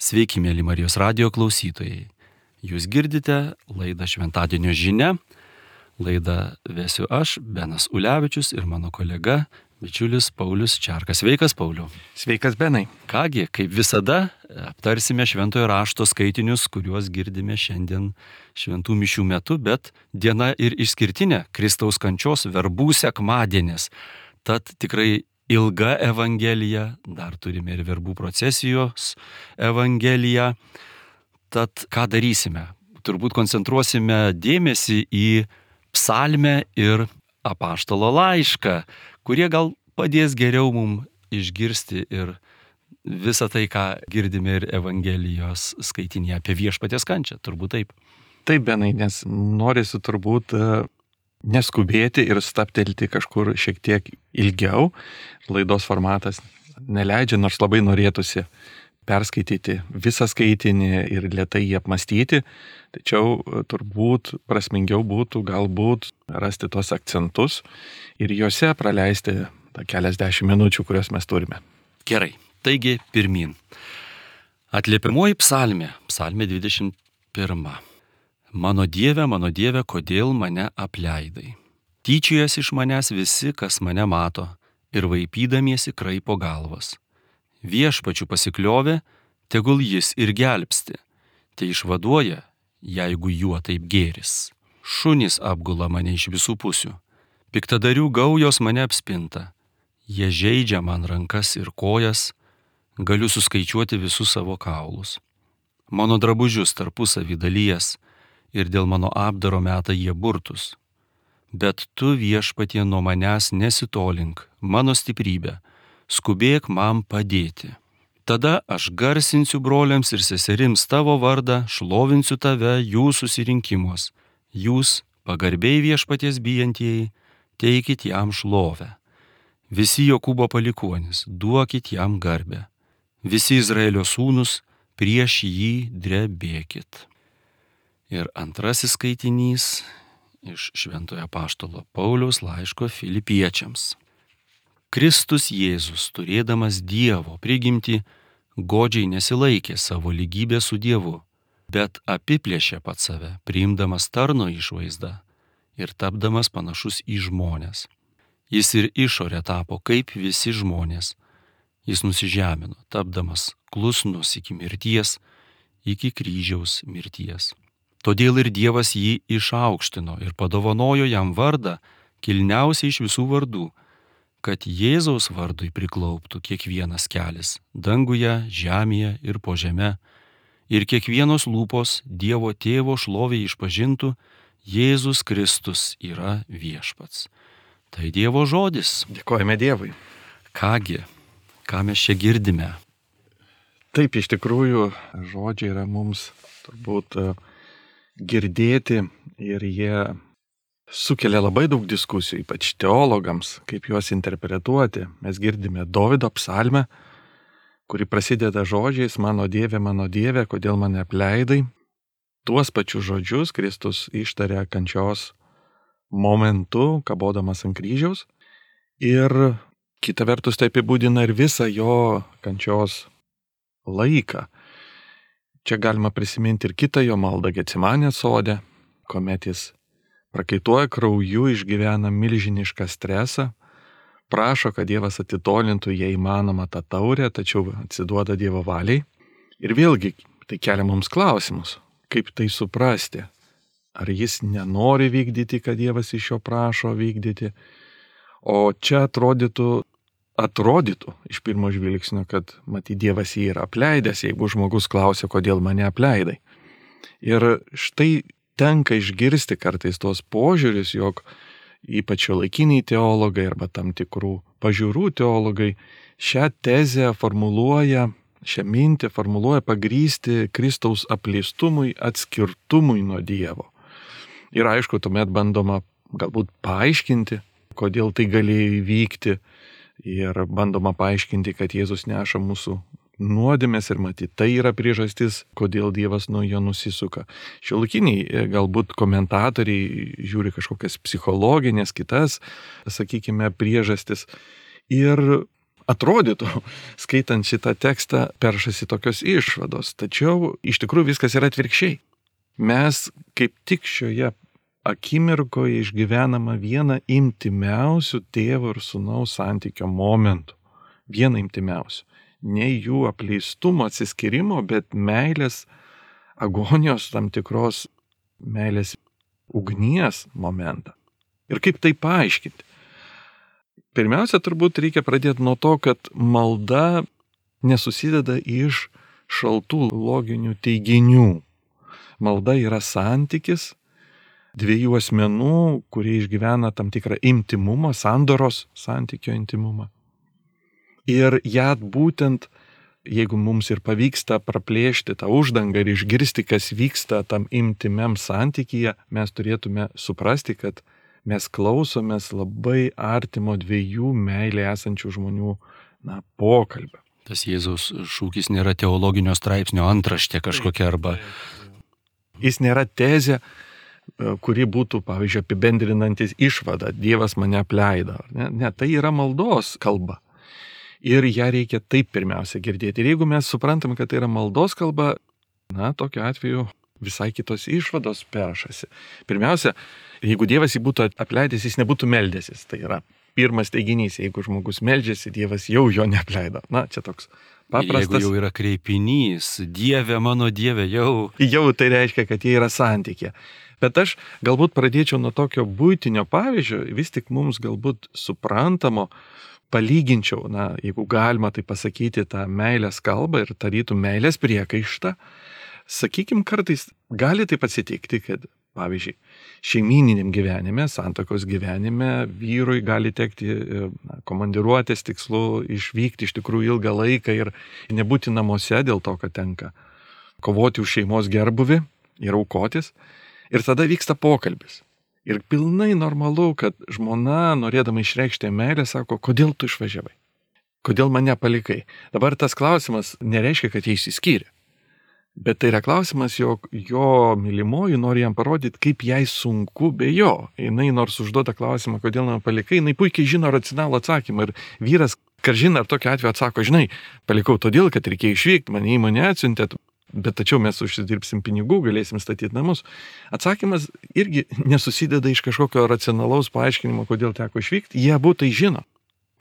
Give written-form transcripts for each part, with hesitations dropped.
Sveiki, mėly Marijos radijo klausytojai. Jūs girdite laidą Šventadienio žinia. Laidą vesiu aš, Benas Ulevičius ir mano kolega, bičiulis Paulius Čerkas. Sveikas, Pauliu. Sveikas, Benai. Kągi, kaip visada, aptarsime Šventojo rašto skaitinius, kuriuos girdime šiandien šventų mišių metu, bet diena ir išskirtinė Kristaus kančios verbų sekmadienis. Tad tikrai ilga evangelija, dar turime ir verbų procesijos evangeliją. Tad ką darysime? Turbūt koncentruosime dėmesį į psalmę ir apaštalo laišką, kurie gal padės geriau mums išgirsti ir visą tai, ką girdime ir Evangelijos skaitinėje apie viešpaties kančią. Turbūt taip. Taip, Benai, nes norisi turbūt neskubėti ir stabtelti kažkur šiek tiek ilgiau. Laidos formatas neleidžia, nors labai norėtųsi perskaityti visą skaitinį ir lėtai jį apmastyti, tačiau turbūt prasmingiau būtų galbūt rasti tos akcentus ir juose praleisti tą keliasdešimt minučių, kurias mes turime. Gerai, taigi pirmyn. Atliepiamoji psalmė 21. Mano Dieve, kodėl mane apleidai? Tyčiojas iš manęs visi, kas mane mato, ir vaipydamiesi kraipo galvas. Viešpačiu pasikliovė, tegul jis ir gelbsti, tai išvaduoja, jeigu juo taip gėris. Šunys apgula mane iš visų pusių, piktadarių gaujos mane apspinta, jie žeidžia man rankas ir kojas, galiu suskaičiuoti visus savo kaulus. Mano drabužius tarpusavy dalyjas ir dėl mano apdaro meta jie burtus. Bet tu, Viešpatie, nuo manęs nesitolink, mano stiprybė, skubėk man padėti. Tada aš garsinsiu broliams ir seserims tavo vardą, šlovinsiu tave jų susirinkimuos. Jūs, pagarbiai Viešpaties bijantieji, teikit jam šlovę. Visi Jokūbo palikuonys, duokit jam garbę. Visi Izraelio sūnus, prieš jį drebėkit. Ir antrasis skaitinys iš Šventojo apaštalo Pauliaus laiško Filipiečiams. Kristus Jėzus, turėdamas Dievo prigimtį, godžiai nesilaikė savo lygybę su Dievu, bet apiplėšė pats save, priimdamas tarno išvaizdą ir tapdamas panašus į žmones. Jis ir išorė tapo kaip visi žmonės. Jis nusižemino, tapdamas klusnus iki mirties, iki kryžiaus mirties. Todėl ir Dievas jį išaukštino ir padovanojo jam vardą, kilniausiai iš visų vardų, kad Jėzaus vardui priklauptų kiekvienas kelis, danguje, žemėje ir po žeme, ir kiekvienos lūpos Dievo Tėvo šlovė išpažintų, Jėzus Kristus yra viešpats. Tai Dievo žodis. Dėkojame Dievui. Kągi, ką mes čia girdime? Taip, iš tikrųjų, žodžiai yra mums turbūt girdėti ir jie sukelia labai daug diskusijų, ypač teologams, kaip juos interpretuoti. Mes girdime Dovydo psalmę, kuri prasideda žodžiais mano Dieve, kodėl mane apleidai. Tuos pačius žodžius Kristus ištarė kančios momentu, kabodamas ant kryžiaus. Ir kita vertus tai apibūdina ir visą jo kančios laiką. Čia galima prisiminti ir kitą jo maldą Getsemanės sode, kuomet jis prakaituoja krauju, išgyvena milžinišką stresą, prašo, kad Dievas atitolintų, jei įmanoma, tą taurę, tačiau atsiduoda Dievo valiai. Ir vėlgi tai kelia mums klausimus, kaip tai suprasti. Ar jis nenori vykdyti, kad Dievas iš jo prašo vykdyti? O čia atrodytų iš pirmo žvilgsnio, kad matyt Dievas jį yra apleidęs, jeigu žmogus klausia, kodėl mane apleidai. Ir štai tenka išgirsti kartais tos požiūris, jog ypač šiuolaikiniai teologai arba tam tikrų pažiūrų teologai šią tezę formuluoja, šią mintį formuluoja pagrįsti Kristaus apleistumui, atskirtumui nuo Dievo. Ir aišku, tuomet bandoma galbūt paaiškinti, kodėl tai galėjo įvykti. Ir bandoma paaiškinti, kad Jėzus neša mūsų nuodėmės ir matyt, tai yra priežastis, kodėl Dievas nuo jo nusisuka. Šiuolaikiniai galbūt komentatoriai žiūri kažkokias psichologinės, kitas, sakykime, priežastis. Ir atrodytų, skaitant šitą tekstą, peršasi tokios išvados. Tačiau iš tikrųjų viskas yra atvirkščiai. Mes kaip tik šioje akimirkoje išgyvenama vieną intimiausių tėvo ir sūnaus santykio momentų. Vieną intimiausių. Ne jų apleistumo, atsiskyrimo, bet meilės, agonijos tam tikros meilės ugnies momentą. Ir kaip tai paaiškinti? Pirmiausia, turbūt reikia pradėti nuo to, kad malda nesusideda iš šaltų loginių teiginių. Malda yra santykis dviejų asmenų, kurie išgyvena tam tikrą intimumą, sandoros santykio intimumą. Ir ją būtent, jeigu mums ir pavyksta praplėšti tą uždangą ir išgirsti, kas vyksta tam intimiam santykyje, mes turėtume suprasti, kad mes klausomės labai artimo dviejų meilė esančių žmonių pokalbio. Tas Jėzaus šūkis nėra teologinio straipsnio antraštė kažkokia arba... Jis nėra tezė, kuri būtų, pavyzdžiui, apibendrinantis išvadą, Dievas mane apleido. Ne, tai yra maldos kalba. Ir ją reikia taip pirmiausia girdėti. Ir jeigu mes suprantam, kad tai yra maldos kalba, tokiu atveju visai kitos išvados peršasi. Pirmiausia, jeigu Dievas jį būtų apleidęs, jis nebūtų meldęsis. Tai yra pirmas teiginys, jeigu žmogus meldžiasi, Dievas jau jo neapleido. Čia toks paprastas. Jeigu jau yra kreipinys, Dieve, mano Dieve, jau... Jau tai reiškia, kad jie yra santykė. Bet aš galbūt pradėčiau nuo tokio buitinio pavyzdžio, vis tik mums galbūt suprantamo, palyginčiau, jeigu galima tai pasakyti, tą meilės kalbą ir tarytų meilės priekaištą. Sakykim, kartais gali taip atsitikti, kad, pavyzdžiui, šeimyniniam gyvenime, santuokos gyvenime vyrui gali tekti komandiruotės tikslu išvykti iš tikrųjų ilgą laiką ir nebūti namuose dėl to, kad tenka kovoti už šeimos gerbuvį ir aukotis. Ir tada vyksta pokalbis. Ir pilnai normalu, kad žmona, norėdama išreikšti meilę, sako, kodėl tu išvažiavai? Kodėl mane palikai? Dabar tas klausimas nereiškia, kad jie išsiskyrė. Bet tai yra klausimas, jog jo mylimoji nori jam parodyti, kaip jai sunku be jo. Jinai nors užduoda klausimą, kodėl mane palikai, jinai puikiai žino racionalų atsakymą. Ir vyras, kažin ar tokiu atveju atsako, žinai, palikau todėl, kad reikėjo išvykti, mane įmonė atsiuntė, bet tačiau mes užsidirbsim pinigų, galėsim statyti namus. Atsakymas irgi nesusideda iš kažkokio racionalaus paaiškinimo, kodėl teko išvykti, jie abu tai žino.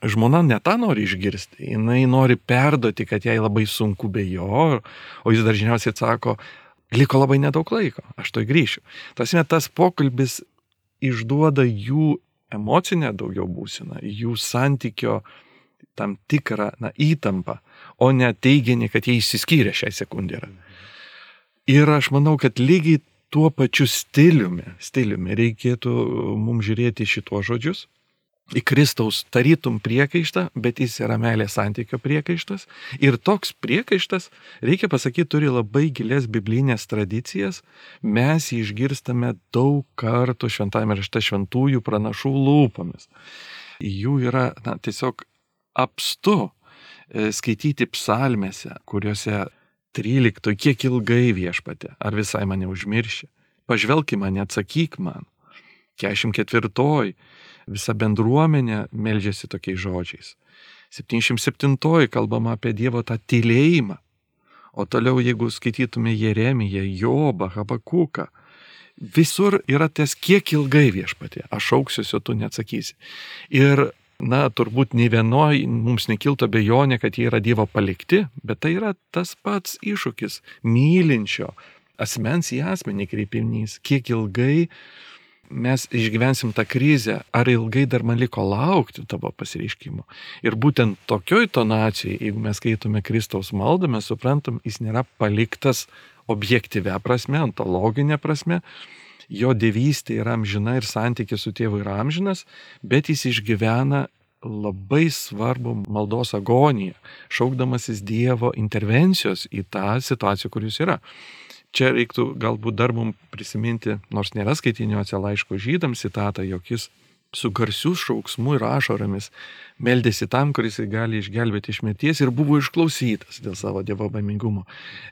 Žmona ne tą nori išgirsti, jinai nori perduoti, kad jai labai sunku be jo, o jis dažniausiai atsako, liko labai nedaug laiko, aš to grįšiu. Tas pokalbis išduoda jų emocinę daugiau būseną, jų santykio tam tikrą įtampą, o ne teiginį, kad jie išsiskyrė šią sekundę. Ir aš manau, kad lygiai tuo pačiu stiliumi reikėtų mums žiūrėti šituos žodžius. Į Kristaus tarytum priekaištą, bet jis yra meilės santykio priekaištas. Ir toks priekaištas, reikia pasakyti, turi labai gilias biblinės tradicijas. Mes jį išgirstame daug kartų šventajame rašte šventųjų pranašų lūpomis. Jų yra tiesiog apstu skaityti psalmėse, kuriuose 13, kiek ilgai Viešpatie, ar visai mane užmirši. Pažvelk į mane, atsakyk man. 44. Visa bendruomenė meldžiasi tokiais žodžiais. 77. kalbama apie Dievo tą tylėjimą. O toliau, jeigu skaitytume Jeremiją, Jobą, Habakuką, visur yra ties kiek ilgai Viešpatie, aš šauksiuosi, tu neatsakysi. Ir, turbūt nei vienoj mums nekiltų abejonė, kad jie yra Dievo palikti, bet tai yra tas pats iššūkis mylinčio asmens į asmenį kreipinys, kiek ilgai mes išgyvensim tą krizę, ar ilgai dar man liko laukti tavo pasireiškimo. Ir būtent tokioj tonacijai, jeigu mes skaitome Kristaus maldą, mes suprantam, jis nėra paliktas objektyvia prasme, ontologinė prasme, jo dievystė yra amžina ir santykis su tėvu yra amžinas, bet jis išgyvena labai svarbu maldos agoniją, šaukdamasis Dievo intervencijos į tą situaciją, kur jis yra. Čia reiktų galbūt dar mums prisiminti, nors nėra skaitiniuose laiško žydams citatą, jog jis su garsiu šauksmu ir ašaromis meldėsi tam, kuris gali išgelbėti iš mirties ir buvo išklausytas dėl savo dievobaimingumo.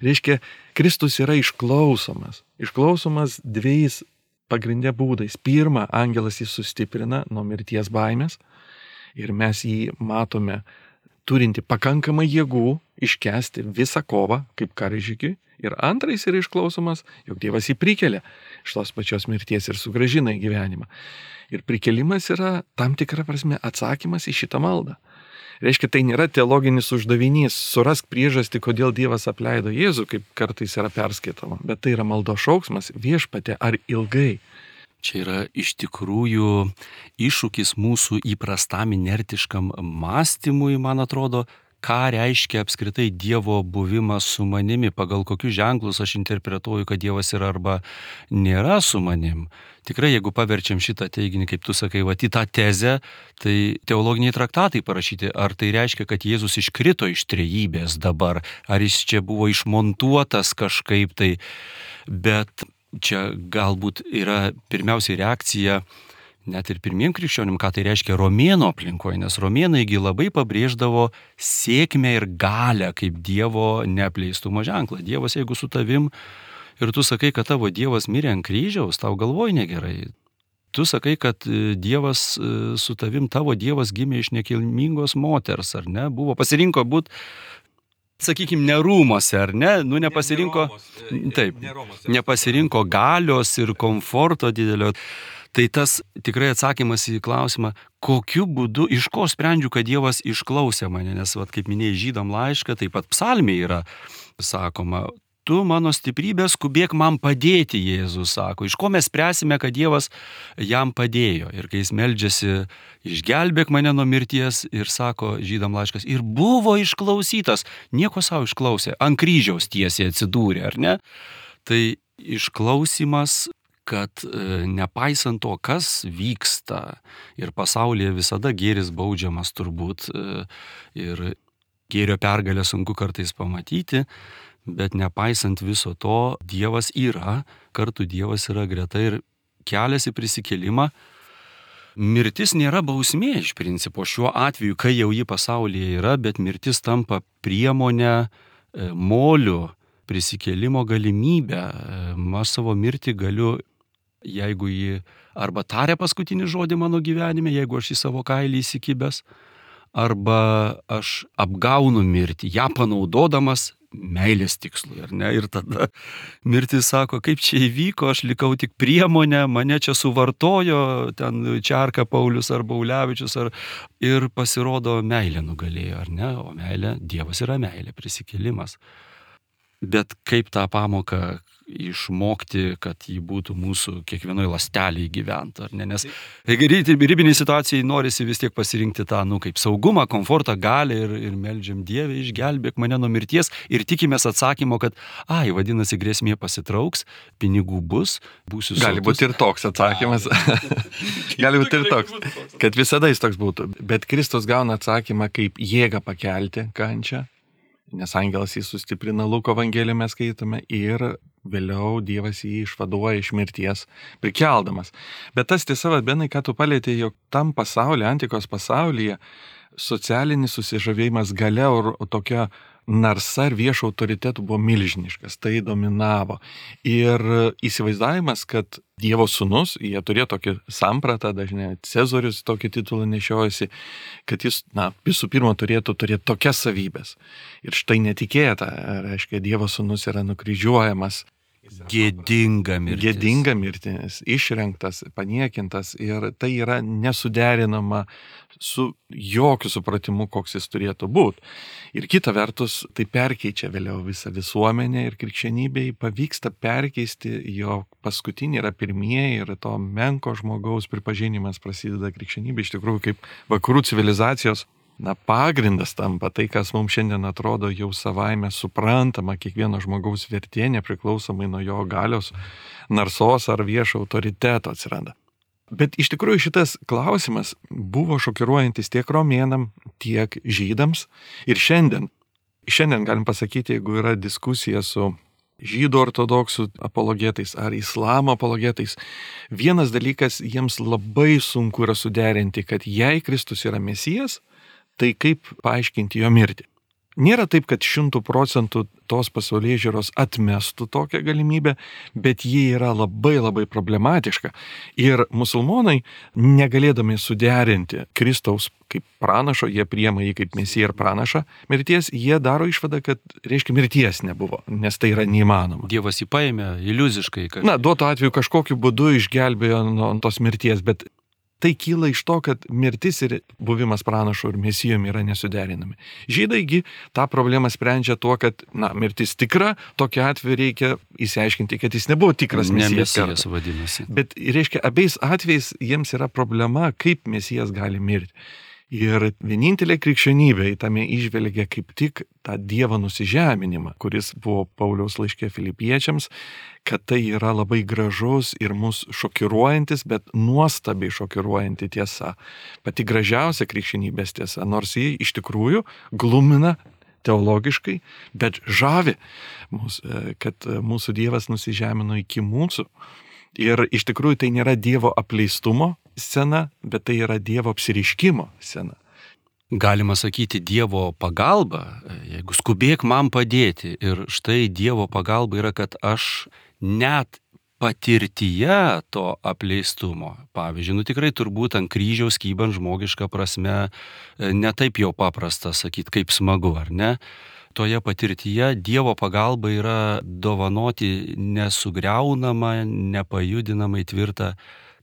Reiškia, Kristus yra išklausomas. Išklausomas dviejais pagrindė būdais. Pirma, angelas jį sustiprina nuo mirties baimės ir mes jį matome turinti pakankamai jėgų iškęsti visą kovą kaip karžygiui. Ir antra, jis yra išklausomas, jog Dievas jį prikelia iš tos pačios mirties ir sugrąžina į gyvenimą. Ir prikelimas yra tam tikra prasme atsakymas į šitą maldą. Reiškia, tai nėra teologinis uždavinys, surask priežastį, kodėl Dievas apleido Jėzų, kaip kartais yra perskaitoma, bet tai yra maldos šauksmas, Viešpatie, ar ilgai. Čia yra iš tikrųjų iššūkis mūsų įprastam inertiškam mąstymui, man atrodo, ką reiškia apskritai Dievo buvimas su manimi, pagal kokius ženklus aš interpretuoju, kad Dievas yra arba nėra su manim. Tikrai, jeigu paverčiam šitą teiginį, kaip tu sakai, į tą tezę, tai teologiniai traktatai parašyti, ar tai reiškia, kad Jėzus iškrito iš trejybės dabar, ar jis čia buvo išmontuotas kažkaip tai, bet čia galbūt yra pirmiausiai reakcija net ir pirmiem krikščionim, ką tai reiškia romėnų aplinkoje, nes romėnaigi labai pabrėždavo sėkmę ir galę kaip Dievo neapleistumo ženklą. Dievas, jeigu su tavim ir tu sakai, kad tavo Dievas mirė ant kryžiaus, tau galvoj negerai. Tu sakai, kad Dievas su tavim, tavo Dievas gimė iš nekilmingos moters, ar ne? Buvo pasirinko būt, sakykime, nerūmose, ar ne? Nepasirinko, nepasirinko galios ir komforto didelio. Tai tas tikrai atsakymas į klausimą, kokiu būdu, iš ko sprendžiu, kad Dievas išklausė mane, nes, kaip minėjai, Žydam laišką, taip pat psalmėje yra sakoma, tu mano stiprybė, skubėk man padėti, Jėzus sako. Iš ko mes spręsime, kad Dievas jam padėjo. Ir kai jis meldžiasi, išgelbėk mane nuo mirties ir sako Žydam laiškas, ir buvo išklausytas, nieko savo išklausė, ant kryžiaus tiesiai atsidūrė, ar ne? Tai išklausimas, kad nepaisant to, kas vyksta ir pasaulyje visada gėris baudžiamas turbūt ir gėrio pergalę sunku kartais pamatyti, bet nepaisant viso to, Dievas yra, kartu Dievas yra greta ir kelias į prisikėlimą. Mirtis nėra bausmė iš principo šiuo atveju, kai jau ji pasaulyje yra, bet mirtis tampa priemonę, moliu, prisikėlimo galimybę. Aš savo mirtį galiu, jeigu ji arba taria paskutinį žodį mano gyvenime, jeigu aš į savo kailį įsikibęs, arba aš apgaunu mirtį, ją panaudodamas meilės tikslui, ar ne? Ir tada mirtis sako, kaip čia įvyko, aš likau tik priemonę, mane čia suvartojo, ten Čerka Paulius ar Baulevičius, ir pasirodo meilė nugalėjo, ar ne? O meilė, Dievas yra meilė, prisikėlimas. Bet kaip tą pamoką išmokti, kad jį būtų mūsų kiekvienoje ląstelėje gyventi, ar ne? Nes ribiniai situacijai norisi vis tiek pasirinkti tą, kaip saugumą, komfortą, galią ir meldžiam Dievę, išgelbėk mane nuo mirties ir tikimės atsakymo, kad, vadinasi, grėsmė pasitrauks, pinigų bus, būsiu sotus. Gali būti ir toks atsakymas. Gali būti ir toks, kad visada jis toks būtų. Bet Kristus gauna atsakymą kaip jėgą pakelti kančią. Nes angelas jį sustiprina, Luko Evangelijoje mes skaitome, ir vėliau Dievas jį išvaduoja iš mirties, prikeldamas. Bet tas tiesa, Benai, ką tu palietei, jog tam pasaulyje, antikos pasaulyje, socialinis susižavėjimas galia ir tokia narsa ir viešo autoritetų buvo milžiniškas, tai dominavo. Ir įsivaizdavimas, kad Dievo sūnus, jie turėjo tokį sampratą, dažnai Cezorius tokį titulą nešiojasi, kad jis, visų pirma, turėtų turėti tokias savybės. Ir štai netikėta, reiškia, Dievo sūnus yra nukryžiuojamas. Gėdinga mirtis, išrengtas, paniekintas, ir tai yra nesuderinama su jokiu supratimu, koks jis turėtų būti. Ir kita vertus, tai perkeičia vėliau visą visuomenę ir krikščionybei pavyksta perkeisti, jo paskutinį yra pirmieji ir to menko žmogaus pripažinimas prasideda krikščionybė iš tikrųjų kaip vakarų civilizacijos pagrindas tampa, tai, kas mums šiandien atrodo jau savaime suprantama, kiekvieno žmogaus vertė, nepriklausomai nuo jo galios, narsos ar viešo autoriteto atsiranda. Bet iš tikrųjų šitas klausimas buvo šokiruojantis tiek romėnam, tiek žydams. Ir šiandien galim pasakyti, jeigu yra diskusija su žydų ortodoksų apologetais ar islamo apologetais, vienas dalykas jiems labai sunku yra suderinti, kad jei Kristus yra Mesijas, tai kaip paaiškinti jo mirtį. Nėra taip, kad 100% tos pasaulėžiūros atmestų tokią galimybę, bet ji yra labai labai problematiška. Ir musulmonai, negalėdami suderinti Kristaus kaip pranašo, jie priema jį kaip mesiją ir pranašą mirties, jie daro išvadą, kad, reiškia, mirties nebuvo, nes tai yra neįmanoma. Dievas jį paėmė iliuziškai. Duotu atveju kažkokiu būdu išgelbėjo nuo tos mirties, bet tai kyla iš to, kad mirtis ir buvimas pranašu ir mesijumi yra nesuderinami. Žydaigi tą problemą sprendžia tuo, kad mirtis tikra, tokiu atveju reikia įsiaiškinti, kad jis nebuvo tikras mesijas. Ne mesijas vadinasi. Bet, reiškia, abiejais atvejais jiems yra problema, kaip mesijas gali mirti. Ir vienintelė krikščionybė tame įžvelgia kaip tik tą Dievo nusižeminimą, kuris buvo Pauliaus laiške Filipiečiams, kad tai yra labai gražus ir mus šokiruojantis, bet nuostabiai šokiruojanti tiesa. Pati gražiausia krikščionybės tiesa, nors ji iš tikrųjų glumina teologiškai, bet žavi mus, kad mūsų Dievas nusižemino iki mūsų. Ir iš tikrųjų tai nėra Dievo apleistumo scena, bet tai yra Dievo apsireiškimo scena. Galima sakyti Dievo pagalba, jeigu skubėk man padėti. Ir štai Dievo pagalba yra, kad aš net patirtyje to apleistumo, pavyzdžiui, tikrai turbūt ant kryžiaus kybant žmogiška prasme, ne taip jau paprasta sakyti, kaip smagu, ar ne? Toje patirtyje Dievo pagalba yra dovanoti nesugriaunamą, nepajudinamai tvirtą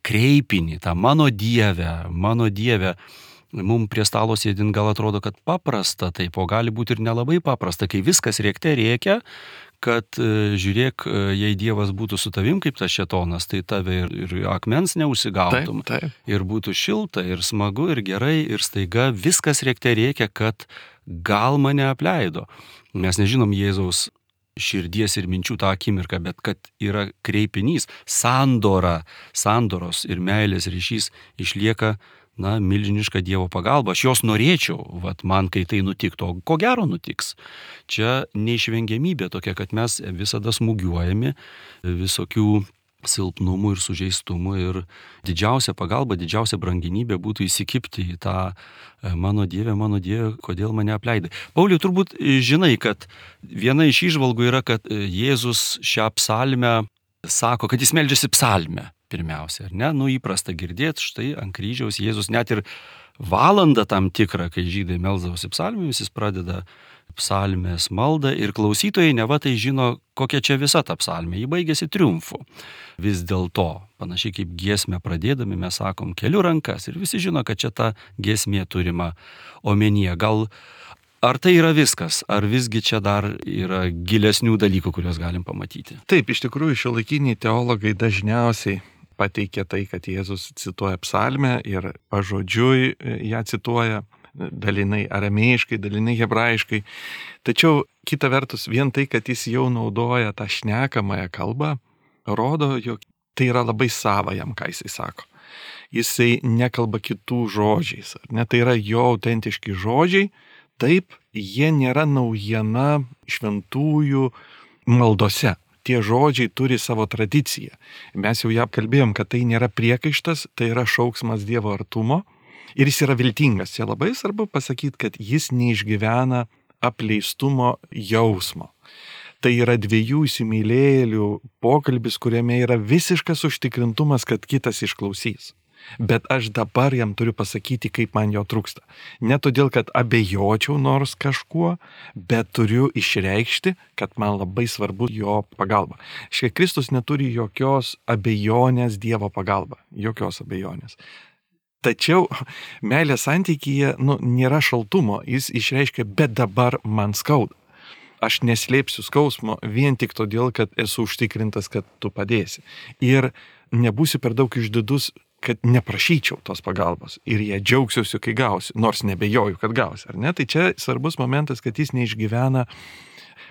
kreipinį, tą mano Dieve. Mums prie stalo sėdint gal atrodo, kad paprasta, taip, o gali būti ir nelabai paprasta, kai viskas rėkte rėkia, kad žiūrėk, jei Dievas būtų su tavim kaip tas šėtonas, tai tave ir akmens neužsigautum. Taip. Ir būtų šilta, ir smagu, ir gerai, ir staiga viskas rėkte rėkia, kad gal mane apleido. Mes nežinom Jėzaus širdies ir minčių tą akimirką, bet kad yra kreipinys, sandoros ir meilės ryšys išlieka, milžiniška Dievo pagalba. Aš jos norėčiau, man kai tai nutiktų, ko gero nutiks. Čia neišvengiamybė tokia, kad mes visada smūgiuojami visokių silpnumų ir sužeistumų ir didžiausia pagalba, didžiausia branginybė būtų įsikibti į tą mano Dieve, kodėl mane apleidai. Pauliau, turbūt žinai, kad viena iš įžvalgų yra, kad Jėzus šią psalmę sako, kad jis meldžiasi psalmę pirmiausia, ar ne? Įprasta girdėti, štai ant kryžiaus Jėzus net ir valandą tam tikrą, kai žydai melsdavosi psalmėmis, jis pradeda psalmės maldą ir klausytojai neva tai žino, kokia čia visa ta psalmė. Ji baigėsi triumfu. Vis dėlto, panašiai kaip giesmę pradėdami, mes sakom, keliu rankas ir visi žino, kad čia ta giesmė turima omenyje. Gal ar tai yra viskas, ar visgi čia dar yra gilesnių dalykų, kuriuos galim pamatyti? Taip, iš tikrųjų šiuolaikiniai teologai dažniausiai pateikia tai, kad Jėzus cituoja psalmę ir pažodžiui ją cituoja, dalinai aramėjiškai, dalinai hebrajiškai. Tačiau kita vertus, vien tai, kad jis jau naudoja tą šnekamąją kalbą, rodo, jog tai yra labai sava jam, ką jisai sako. Jisai nekalba kitų žodžiais, ar ne? Tai yra jo autentiški žodžiai, taip, jie nėra naujiena šventųjų maldose. Tie žodžiai turi savo tradiciją. Mes jau ją apkalbėjom, kad tai nėra priekaištas, tai yra šauksmas Dievo artumo. Ir jis yra viltingas. Čia labai svarbu pasakyti, kad jis neišgyvena apleistumo jausmo. Tai yra dviejų įsimylėjėlių pokalbis, kuriame yra visiškas užtikrintumas, kad kitas išklausys. Bet aš dabar jam turiu pasakyti, kaip man jo trūksta. Ne todėl, kad abejočiau nors kažkuo, bet turiu išreikšti, kad man labai svarbu jo pagalba. Štai Kristus neturi jokios abejonės Dievo pagalba. Jokios abejonės. Tačiau meilės santykyje nėra šaltumo. Jis išreiškia, bet dabar man skauda. Aš neslėpsiu skausmo vien tik todėl, kad esu užtikrintas, kad tu padėsi. Ir nebūsiu per daug išdidus, kad neprašyčiau tos pagalbos ir jie džiaugsiuosi, kai gausiu, nors nebejoju, kad gausiu, ar ne? Tai čia svarbus momentas, kad jis neišgyvena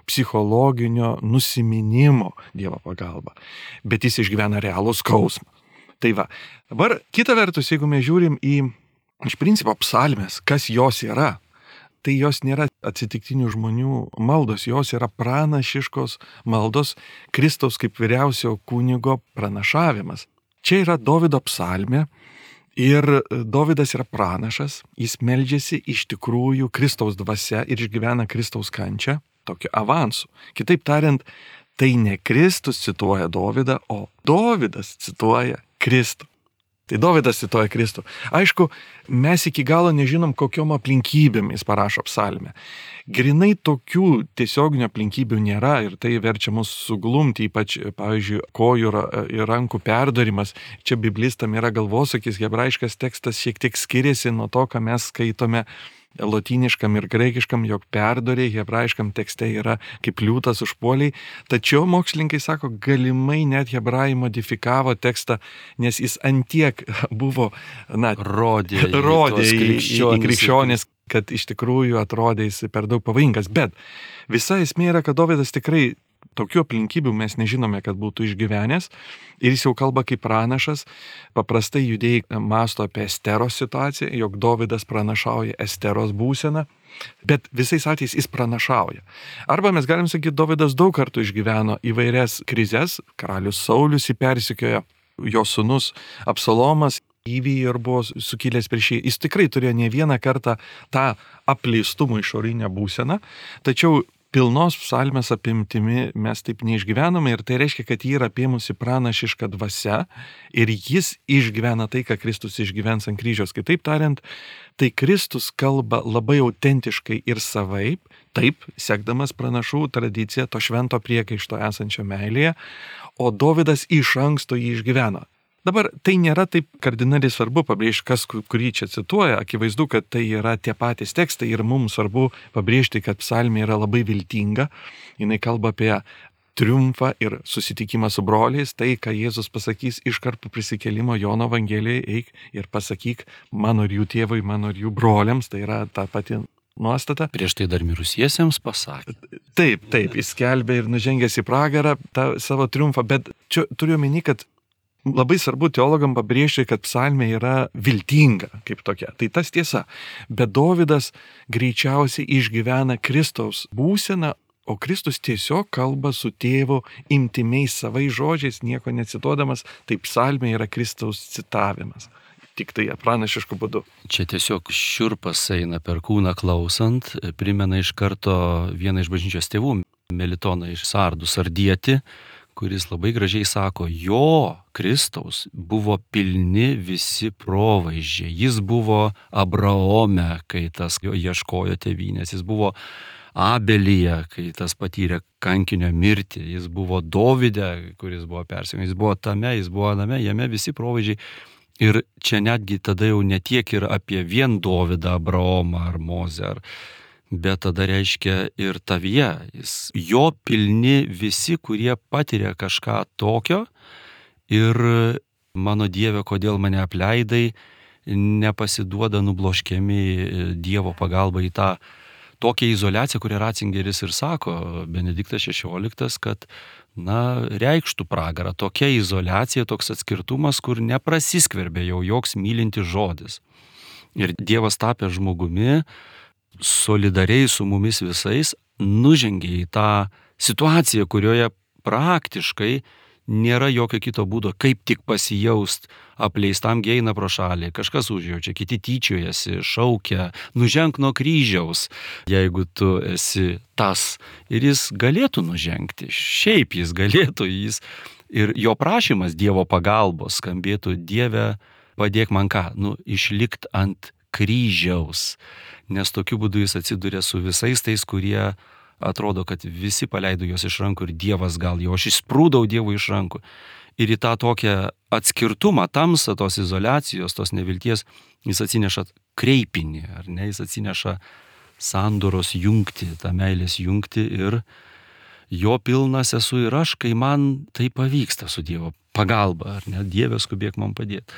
psichologinio nusiminimo Dievo pagalba, bet jis išgyvena realų skausmą. Tai va, dabar kita vertus, jeigu mes žiūrim į iš principo psalmės, kas jos yra, tai jos nėra atsitiktinių žmonių maldos, jos yra pranašiškos maldos, Kristaus kaip vyriausio kunigo pranašavimas. Čia yra Dovydo psalmė Ir Dovydas yra pranašas, jis meldžiasi iš tikrųjų Kristaus dvasia ir išgyvena Kristaus kančią tokiu avansu. Kitaip tariant, tai ne Kristus cituoja Dovydą, o Dovydas cituoja Kristų. Tai Dovydas cituoja Kristų. Aišku, mes iki galo nežinom, kokiom aplinkybėm jis parašo psalmę. Grinai tokių tiesioginių aplinkybių nėra ir tai verčia mus suglumti, ypač, pavyzdžiui, kojų ir rankų perdarimas. Čia biblistam yra galvosakis, hebrajiškas tekstas šiek tiek skiriasi nuo to, ką mes skaitome lotyniškam ir graikiškam, jog perdoriai hebrajiškam tekste yra kaip liūtas užpuoliai. Tačiau mokslininkai sako, galimai net hebrajai modifikavo tekstą, nes jis antiek buvo, rodė į krikščionis, kad iš tikrųjų atrodė jis per daug pavojingas. Bet visa esmė yra, kad Dovydas tikrai tokių aplinkybių mes nežinome, kad būtų išgyvenęs ir jis jau kalba kaip pranašas. Paprastai judėjai mąsto apie Esteros situaciją, jog Dovydas pranašauja Esteros būseną, bet visais atvejais jis pranašauja. Arba mes galim sakyti, Dovydas daug kartų išgyveno įvairias krizes, karalius Saulius jį persekiojo, jo sūnus Absalomas įvyjo ir buvo sukilęs prieš jį. Jis tikrai turėjo ne vieną kartą tą apleistumo išorinę būseną, tačiau pilnos psalmės apimtimi mes taip neišgyvenome ir tai reiškia, kad jį yra apėmusi pranašiška dvasia ir jis išgyvena tai, ką Kristus išgyvens ant kryžiaus. Kitaip tariant, tai Kristus kalba labai autentiškai ir savaip, taip, sekdamas pranašų tradiciją to švento priekaišto esančio meilėje, o Dovydas iš anksto jį išgyveno. Dabar tai nėra taip kardinaliai svarbu pabrėžti, kas kurį čia cituoja. Akivaizdu, kad tai yra tie patys tekstai ir mums svarbu pabrėžti, kad psalmė yra labai viltinga. Jinai kalba apie triumfą ir susitikimą su broliais. Tai, ką Jėzus pasakys iškart po prisikėlimo Jono Evangelijoje, eik ir pasakyk mano ir jų tėvui, mano ir jų broliams. Tai yra ta pati nuostata. Prieš tai dar mirusiesiems pasakė. Taip, jis skelbė ir nužengęs į pragarą tą savo triumfą, bet čia turiu omeny, kad labai svarbu teologam pabrėžti, kad psalmė yra viltinga kaip tokia. Tai tas tiesa. Bet Dovydas greičiausiai išgyvena Kristaus būseną, o Kristus tiesiog kalba su tėvu intimiais savais žodžiais, nieko necituodamas. Tai psalmė yra Kristaus citavimas. Tik tai pranašišku būdu. Čia tiesiog šiurpas eina per kūną klausant, primena iš karto vieną iš bažnyčios tėvų, Melitoną iš Sardų, sardietį, kuris labai gražiai sako, jo Kristaus buvo pilni visi provaizdžiai. Jis buvo Abraome, kai tas jo ieškojo tėvynės. Jis buvo Abelyje, kai tas patyrė kankinio mirtį. Jis buvo Dovyde, kuris buvo persekiojamas. Jis buvo tame, jis buvo name, jame visi provaizdžiai. Ir čia netgi tada jau ne tiek ir apie vien Dovydą, Abraomą ar Mozę, bet tada reiškia ir tavyje. Jo pilni visi, kurie patiria kažką tokio ir mano Dieve, kodėl mane apleidai, nepasiduoda nubloškiami Dievo pagalba į tą tokią izoliaciją, kurią Ratzingeris ir sako, Benediktas XVI, kad reikštų pragarą. Tokia izoliacija, toks atskirtumas, kur neprasiskverbė jau joks mylintis žodis. Ir Dievas tapė žmogumi, solidariai su mumis visais, nužengė į tą situaciją, kurioje praktiškai nėra jokio kito būdo, kaip tik pasijaust apleistam, gi eina pro šalį, kažkas užjaučia, kiti tyčiojasi, šaukia, nuženk nuo kryžiaus, jeigu tu esi tas. Ir jis galėtų nužengti, šiaip jis galėtų, ir jo prašymas Dievo pagalbos skambėtų, Dieve, padėk man ką, išlikt ant kryžiaus, nes tokiu būdu jis atsiduria su visais tais, kurie atrodo, kad visi paleido juos iš rankų ir Dievas gal jo, aš išsprūdau Dievui iš rankų. Ir į tą tokią atskirtumą, tamsą, tos izoliacijos, tos nevilties, jis atsineša kreipinį, ar ne, jis atsineša sandoros jungti, tą meilės jungti ir jo pilnas esu ir aš, kai man tai pavyksta su Dievo pagalba, ar ne, Dieve skubėk man padėti.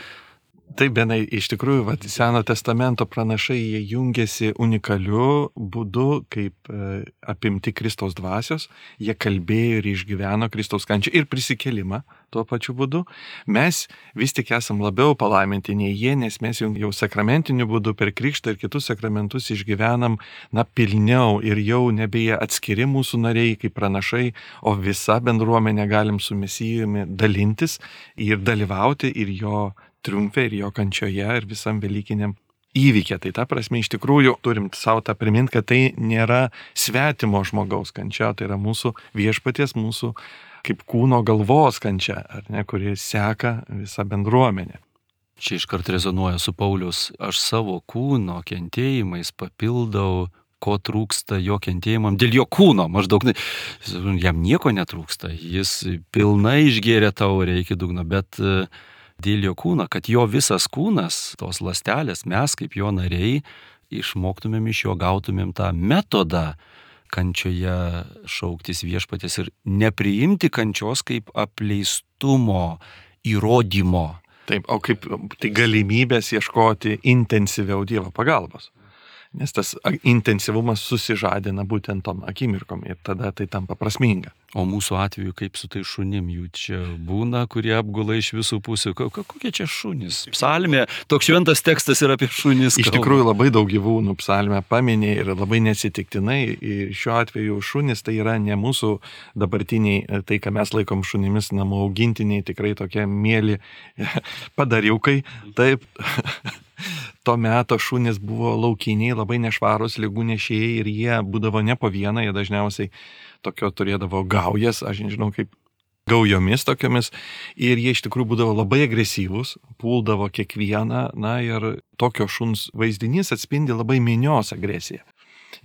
Taip, Benai, iš tikrųjų, Seno testamento pranašai jie jungiasi unikaliu būdu, kaip apimti Kristaus dvasios, jie kalbėjo ir išgyveno Kristaus kančią ir prisikėlimą tuo pačiu būdu. Mes vis tik esam labiau palaiminti nei jie, nes mes jau sakramentiniu būdu per krikštą ir kitus sakramentus išgyvenam pilniau ir jau nebėja atskiri mūsų nariai kaip pranašai, o visa bendruomenė galim su Mesijumi dalintis ir dalyvauti ir jo triumfe ir jo kančioje ir visam velykiniam įvykė. Tai ta prasme iš tikrųjų turim savo tą priminti, kad tai nėra svetimo žmogaus kančia, tai yra mūsų viešpaties, mūsų kaip kūno galvos kančia, ar ne, kuri seka visą bendruomenę. Čia iškart rezonuoja su Paulius, aš savo kūno kentėjimais papildau, ko trūksta jo kentėjimam, dėl jo kūno, maždaug jam nieko netrūksta, jis pilnai išgėrė taurę iki dugno, bet dėl jo kūno, kad jo visas kūnas, tos ląstelės, mes kaip jo nariai, išmoktumėm iš jo, gautumėm tą metodą kančioje šauktis viešpaties ir nepriimti kančios kaip apleistumo įrodymo. Taip, o kaip tai galimybės ieškoti intensyviau Dievo pagalbos. Nes tas intensyvumas susižadina būtent tom akimirkom ir tada tai tampa prasminga. O mūsų atveju kaip su tai šunim, jų čia būna, kurie apgula iš visų pusių. Kokie čia šunys? Psalmė, toks šventas tekstas yra apie šunis. Iš tikrųjų labai daug gyvūnų psalmė paminė ir labai neatsitiktinai. Ir šiuo atveju šunis tai yra ne mūsų dabartiniai, tai ką mes laikom šunimis, namų augintiniai, tikrai tokie mėly padariukai. Taip. To meto šunys buvo laukiniai, labai nešvarus, ligų nešėjai ir jie būdavo ne po vieną, jie dažniausiai tokio turėdavo gaujas, aš nežinau kaip gaujomis tokiomis, ir jie iš tikrųjų būdavo labai agresyvūs, puldavo kiekvieną, na ir tokio šuns vaizdinys atspindi labai minios agresiją,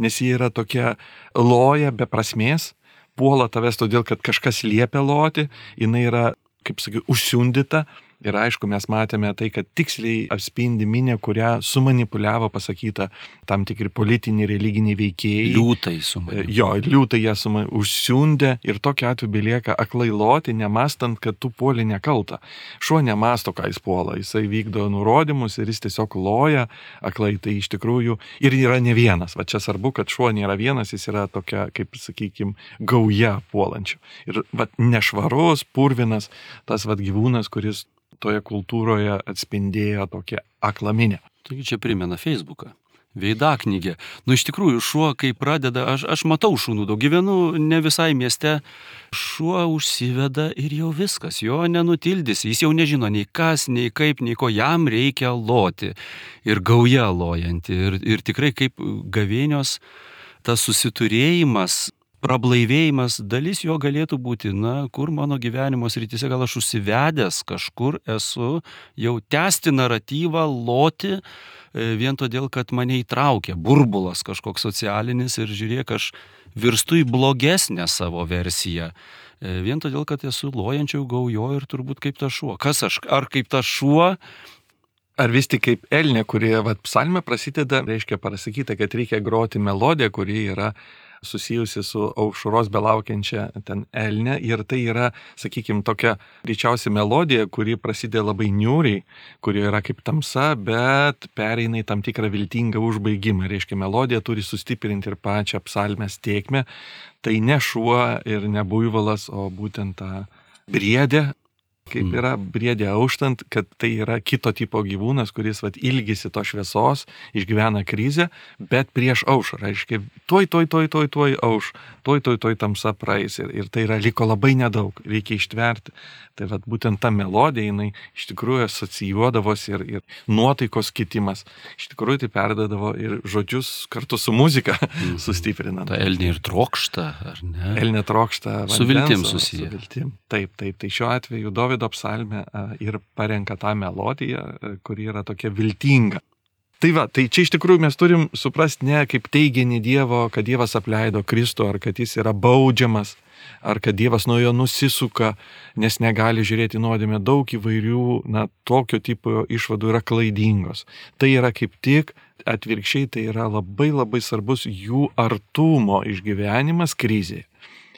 nes jie yra tokia loja be prasmės, puola tavęs todėl, kad kažkas liepia loti, jinai yra, kaip sakiau, užsiundyta. Ir aišku, mes matėme tai, kad tiksliai atspindi minę, kurią sumanipuliavo pasakyta tam tikri politiniai, religiniai veikėjai. Liūtai sumanipuliavo. Jo, liūtai ją užsiundė ir tokiu atveju belieka aklai loti, nemastant, kad tu puoli nekalta. Šuo nemasto, ką jis puola, jisai vykdo nurodymus ir jis tiesiog loja aklai. Tai iš tikrųjų ir yra ne vienas. Va čia svarbu, kad šuo nėra vienas, jis yra tokia, kaip sakykime, gauja puolančių. Ir va nešvarus, purvinas, tas va gyvūnas, kuris toje kultūroje atspindėjo tokią aklaminę. Taigi čia primena Facebooką. Veidaknygė. Iš tikrųjų, šuo, kai pradeda, aš matau šunų daug, gyvenu ne visai mieste, šuo užsiveda ir jau viskas, jo nenutildys, jis jau nežino nei kas, nei kaip, nei ko, jam reikia loti. Ir gauja lojanti. Ir tikrai kaip gavėnios tas susiturėjimas, prablaivėjimas, dalis jo galėtų būti, kur mano gyvenimo srityse gal aš užsivedęs kažkur esu, jau tęsti naratyvą, loti, vien todėl, kad mane įtraukia burbulas kažkoks socialinis ir žiūrėk, aš virstu į blogesnę savo versiją. Vien todėl, kad esu lojančiau gaujo ir turbūt kaip ta šuo. Kas aš? Ar kaip ta šuo? Ar vis tik kaip elnė, kurie psalmė prasideda, reiškia parasakyta, kad reikia groti melodiją, kuri yra susijusi su aušros belaukiančia ten elne ir tai yra, sakykime, tokia greičiausiai melodija, kuri prasideda labai niūriai, kuri yra kaip tamsa, bet pereina į tam tikrą viltingą užbaigimą. Reiškia, melodija turi sustiprinti ir pačią psalmės tėkmę. Tai ne šuo ir ne buivalas, o būtent ta briedė. Kaip yra briedė auštant, kad tai yra kito tipo gyvūnas, kuris ilgisi to šviesos, išgyvena krizę, bet prieš aušrą, reiškia, tuoj auš, tuoj tamsa praeis ir tai yra liko labai nedaug, reikia ištverti. Tai būtent ta melodija, jinai iš tikrųjų asocijuodavosi ir nuotaikos kitimas, iš tikrųjų tai perdadavo ir žodžius kartu su muzika sustiprinant. Ta elnė ir trokšta, ar ne? Elnė trokšta vandens. Su viltim susiję. Su viltim. Taip. Tai šiuo atveju Dovydo psalmė ir parenka tą melodiją, kuri yra tokia viltinga. Tai čia iš tikrųjų mes turim suprasti ne kaip teiginį Dievo, kad Dievas apleido Kristų, ar kad jis yra baudžiamas, ar kad Dievas nuo jo nusisuka, nes negali žiūrėti nuodėmę. Daug įvairių, tokio tipo išvadų yra klaidingos. Tai yra kaip tik atvirkščiai, tai yra labai labai svarbus jų artumo išgyvenimas krizėje.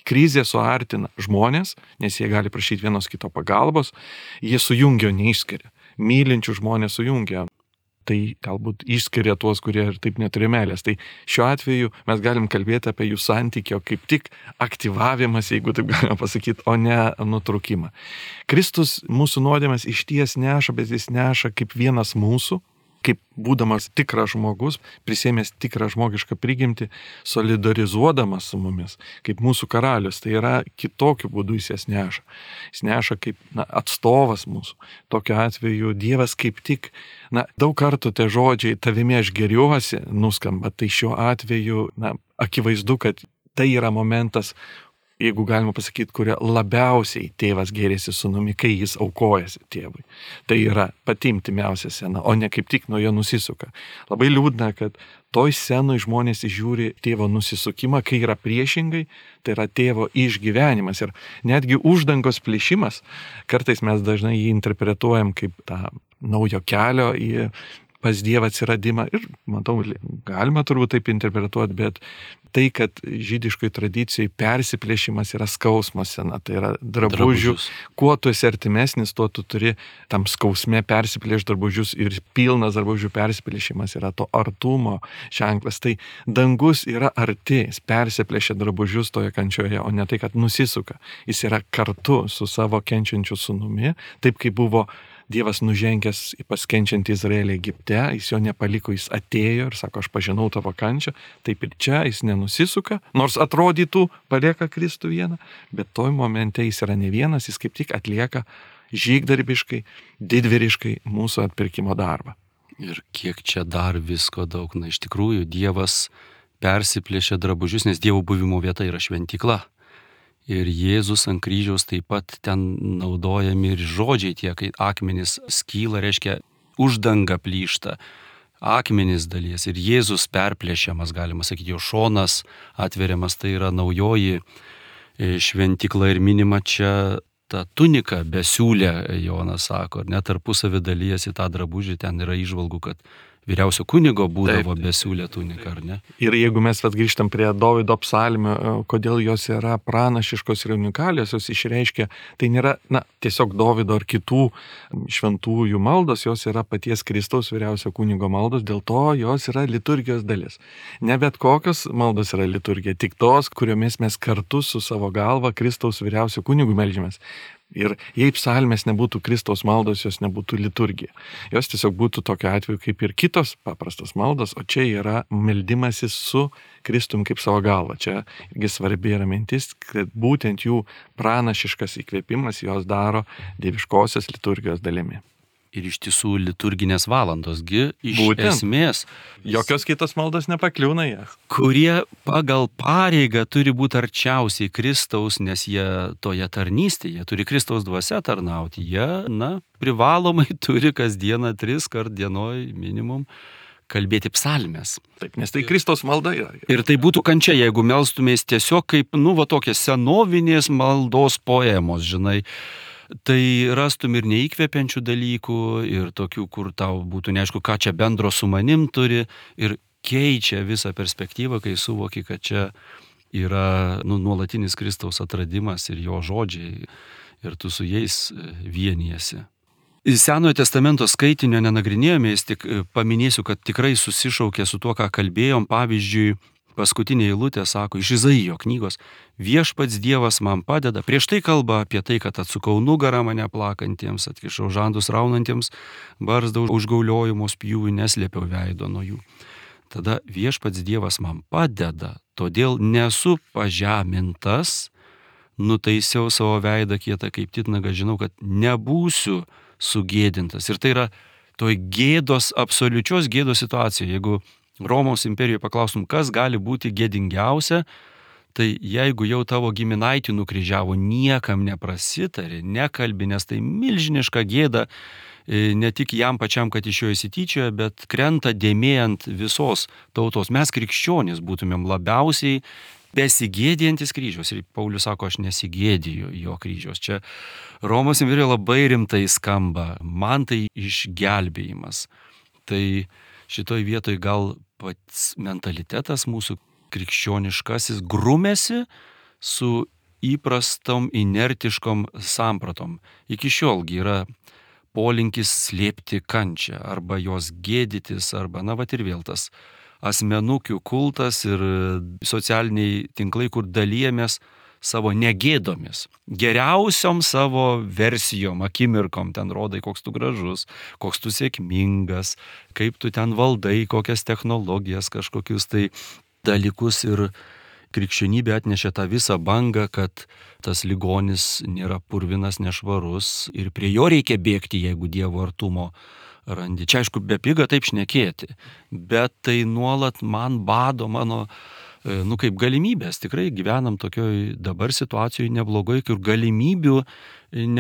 Krizė suartina žmonės, nes jie gali prašyti vienos kito pagalbos, jie sujungia, neišskiria. Mylinčių žmonės sujungia. Tai galbūt išskiria tuos, kurie ir taip neturi meilės. Tai šiuo atveju mes galim kalbėti apie jų santykio kaip tik aktyvavimas, jeigu taip galima pasakyti, o ne nutrūkimą. Kristus mūsų nuodėmes išties neša, bet jis neša kaip vienas mūsų, kaip būdamas tikras žmogus, prisėmęs tikrą žmogišką prigimtį, solidarizuodamas su mumis, kaip mūsų karalius. Tai yra kitokiu būdu jis jas neša. Jis neša kaip atstovas mūsų. Tokiu atveju Dievas kaip tik, daug kartų tie žodžiai tavimi aš geriuosi nuskamba, tai šiuo atveju akivaizdu, kad tai yra momentas, jeigu galima pasakyti, kuria labiausiai tėvas gėrėsi sūnumi, kai jis aukojasi tėvui. Tai yra pati intimiausia scena, o ne kaip tik nuo jo nusisuka. Labai liūdna, kad toj scenoj žmonės įžiūri tėvo nusisukimą, kai yra priešingai, tai yra tėvo išgyvenimas. Ir netgi uždangos plėšimas, kartais mes dažnai jį interpretuojam kaip tą naujo kelio į pas Dievą atsiradimą. Ir, matau, galima turbūt taip interpretuoti, bet tai, kad žydiškoj tradicijai persiplėšimas yra skausmo scena, tai yra drabužių. Kuo tu esi artimesnis, tuo tu turi tam skausme persiplėšti drabužius ir pilnas drabužių persiplėšimas yra to artumo ženklas. Tai dangus yra arti, jis persiplėšia drabužius toje kančioje, o ne tai, kad nusisuka. Jis yra kartu su savo kenčiančiu sūnumi, taip kaip buvo Dievas nužengęs į paskenčiantį Izraelį Egipte, jis jo nepaliko, jis atėjo ir sako, aš pažinau tavo kančią, taip ir čia jis nenusisuka, nors atrodytų palieka Kristų vieną, bet toj momente jis yra ne vienas, jis kaip tik atlieka žygdarbiškai, didvyriškai mūsų atpirkimo darbą. Ir kiek čia dar visko daug, iš tikrųjų Dievas persiplėšia drabužius, nes Dievo buvimo vieta yra šventykla. Ir Jėzus ant kryžiaus taip pat ten naudojami ir žodžiai tie, kai akmenys skyla, reiškia uždanga plyšta, akmenys dalies ir Jėzus perplėšiamas, galima sakyti, jo šonas atveriamas, tai yra naujoji šventykla ir minima čia ta tunika besiūlė, Jonas sako, net tarpusavį dalyjasi tą drabužį, ten yra įžvalgų, kad vyriausio kunigo būdavo besiūlė tunika, ar ne? Ir jeigu mes grįžtam prie Dovydo psalmių, kodėl jos yra pranašiškos ir unikalios, jos išreiškia, tai nėra tiesiog Dovydo ar kitų šventųjų maldos, jos yra paties Kristaus vyriausio kunigo maldos, dėl to jos yra liturgijos dalis. Ne bet kokios maldos yra liturgija, tik tos, kuriomis mes kartu su savo galva Kristaus vyriausio kunigu meldžiamės. Ir jei psalmės nebūtų Kristaus maldos, jos nebūtų liturgija. Jos tiesiog būtų tokiu atveju kaip ir kitos paprastos maldos, o čia yra meldimasis su Kristum kaip savo galva. Čia irgi svarbi yra mintis, kad būtent jų pranašiškas įkvėpimas jos daro dieviškosios liturgijos dalimi. Ir iš tiesų liturginės valandosgi iš Būtent. Esmės. Jokios kitos maldos nepakliūna jas. Kurie pagal pareigą turi būti arčiausiai Kristaus, nes jie toje tarnystėje turi Kristaus dvasia tarnauti. Jie, privalomai turi kasdieną 3 kart dienoj minimum kalbėti psalmes. Taip, nes tai Kristaus malda yra. Ir tai būtų kančia, jeigu melstumės tiesiog kaip, tokie senovinės maldos poemos, žinai. Tai rastum ir neįkvepiančių dalykų, ir tokių, kur tau būtų neaišku, ką čia bendro su manim turi, ir keičia visą perspektyvą, kai suvoki, kad čia yra nuolatinis Kristaus atradimas ir jo žodžiai, ir tu su jais vienijasi. Senojo testamento skaitinio nenagrinėjome, jis tik paminėsiu, kad tikrai susišaukė su tuo, ką kalbėjom. Pavyzdžiui, paskutinė eilutė sako iš Izaijo knygos, viešpats Dievas man padeda. Prieš tai kalba apie tai, kad atsukau nugarą mane plakantiems, atkišau žandus raunantiems, barzdą užgauliojimo spjūvį, neslėpiau veido nuo jų. Tada viešpats Dievas man padeda, todėl nesu pažemintas, nutaisiau savo veidą kietą kaip titnagą, žinau, kad nebūsiu sugėdintas. Ir tai yra toj gėdos, absoliučios gėdos situacija. Jeigu Romos imperijoje paklaustum, kas gali būti gėdingiausia, tai jeigu jau tavo giminaitį nukryžiavo, niekam neprasitarė, nekalbi, nes tai milžiniška gėda, ne tik jam pačiam, kad iš jo įsityčioja, bet krenta dėmė ant visos tautos. Mes krikščionys būtumėm labiausiai besigėdijantis kryžiaus. Ir Paulius sako, aš nesigėdiju jo kryžiaus. Čia Romos imperijoje labai rimtai skamba. Man tai išgelbėjimas. Tai šitoj vietoj gal pats mentalitetas mūsų krikščioniškasis grumėsi su įprastom inertiškom sampratom. Iki šiolgi yra polinkis slėpti kančią arba jos gėdytis, arba, ir vėl tas asmenukių kultas ir socialiniai tinklai, kur dalyjamės savo negėdomis, geriausiom savo versijom, akimirkom, ten rodai, koks tu gražus, koks tu sėkmingas, kaip tu ten valdai, kokias technologijas, kažkokius tai dalykus. Ir krikščionybė atnešė tą visą bangą, kad tas ligonis nėra purvinas, nešvarus ir prie jo reikia bėgti, jeigu Dievo artumo randi. Čia aišku, bepiga taip šnekėti, bet tai nuolat man bado mano, kaip galimybės. Tikrai gyvenam tokioj dabar situacijoje neblogai, kur galimybių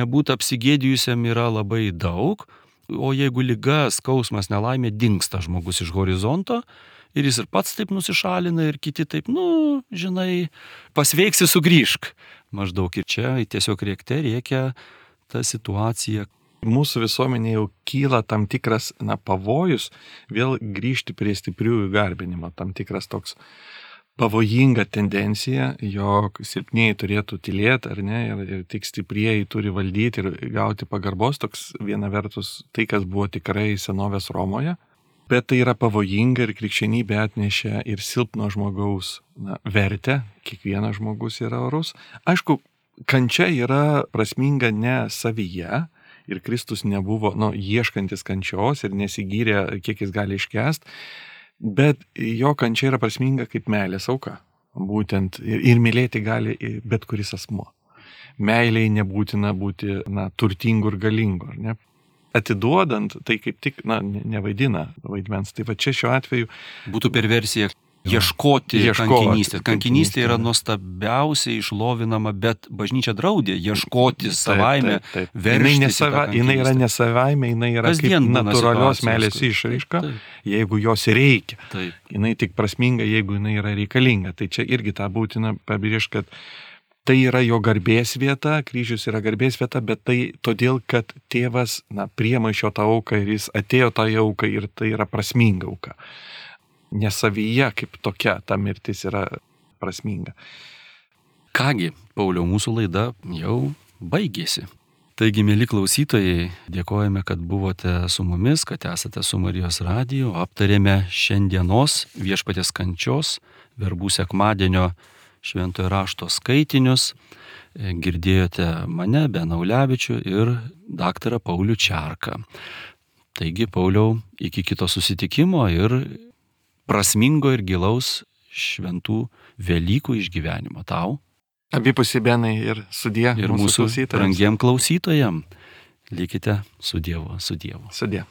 nebūti apsigėdijusiam yra labai daug, o jeigu liga, skausmas, nelaimė, dingsta žmogus iš horizonto ir jis ir pats taip nusišalina ir kiti taip, žinai, pasveiksi, sugrįžk. Maždaug ir čia tiesiog rėkia ta situacija. Mūsų visuomenėje jau kyla tam tikras pavojus vėl grįžti prie stipriųjų garbinimo, tam tikras toks pavojinga tendencija, jog silpnieji turėtų tylėti, ar ne, ir tik stiprieji turi valdyti ir gauti pagarbos, toks viena vertus tai, kas buvo tikrai senovės Romoje, bet tai yra pavojinga ir krikščionybė atnešė ir silpno žmogaus vertę, kiekvienas žmogus yra orus. Aišku, kančia yra prasminga ne savyje, ir Kristus nebuvo ieškantis kančios ir nesigyrė, kiek jis gali iškęst, bet jo kančia yra prasminga kaip meilės auka. Būtent ir mylėti gali bet kuris asmuo. Meiliai nebūtina būti turtingu ir galingu, ar ne? Atiduodant, tai kaip tik nevaidina vaidmens. Tai va čia šiuo atveju būtų perversija ieškoti kankinystės. Kankinystė yra nuostabiausiai išlovinama, bet bažnyčia draudė ieškoti savaime, veržtis. Jinai yra ne savaime, jinai yra kaip natūralios meilės išraiška, jeigu jos reikia. Jinai tik prasminga, jeigu jinai yra reikalinga. Tai čia irgi tą būtina pabrėžti, kad tai yra jo garbės vieta, kryžius yra garbės vieta, bet tai todėl, kad tėvas priima iš jo tą auką ir jis atėjo tą auką ir tai yra prasminga auka. Nesavyje kaip tokia ta mirtis yra prasminga. Kągi, Pauliau, mūsų laida jau baigėsi. Taigi, mieli klausytojai, dėkojame, kad buvote su mumis, kad esate su Marijos radiju. Aptarėme šiandienos Viešpaties kančios, verbų sekmadienio šventojo rašto skaitinius. Girdėjote mane, Beną Ulevičių ir daktarą Paulių Čerką. Taigi, Pauliau, iki kito susitikimo ir prasmingo ir gilaus šventų Velykų išgyvenimo tau. Abipusiai, Benai, ir sudie. Ir mūsų brangiem klausytojam. Likite su Dievu, su Dievu. Sudie.